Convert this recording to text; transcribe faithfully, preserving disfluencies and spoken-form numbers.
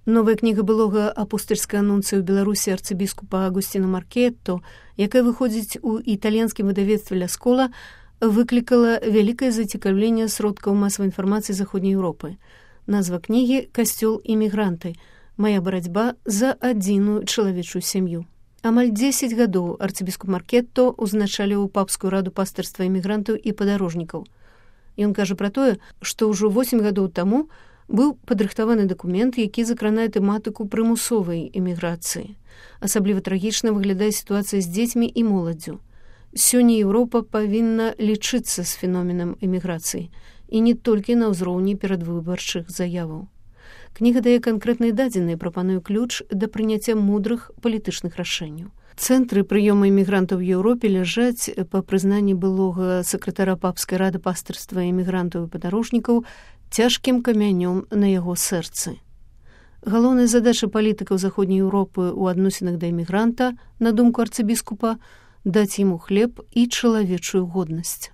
Новая кніга былога апостальскага анунцыю ў Беларусі арцыбіскупа Агусціна Маркетто, якая выходзіць у італьянскім выдавецтве «Ля Скола», выклікала вялікае зацікаўленне сродкаў масавай інфармацыі Заходняй Еўропы. Назва кнігі «Касцёл імігранты. Мая барацьба за адзіную чалавечую сям'ю». Амаль дзесяць гадоў арцыбіскуп Маркетто узначаліў папскую раду пастырства імігрантаў і падарожнікаў. Ён кажа пра тое, што ўжо восем гадоў таму быў падрыхтаваны дакумент, які закранае тэматыку прымусовай эміграцыі. Асабліва трагічна выглядае сітуацыя з дзецьмі і моладдзю. Сёння Еўропа павінна лічыцца з феноменам эміграцыі, і не толькі на ўзроўні перадвыбарчых заяваў. Кніга дае канкрэтныя дадзеныя, прапануе ключ да прыняцця мудрых палітычных рашэнняў. Цэнтры прыёму імігрантаў у Еўропе ляжаць, па прызнанні былога сакратара папскай рады пастырства імігрантаў і падарожнікаў, цяжкім камянём на яго сэрцы. Галоўная задача палітыкаў Заходняй Еўропы ў адносінах да імігранта, на думку арцыбіскупа, даць яму хлеб і чалавечую годнасць.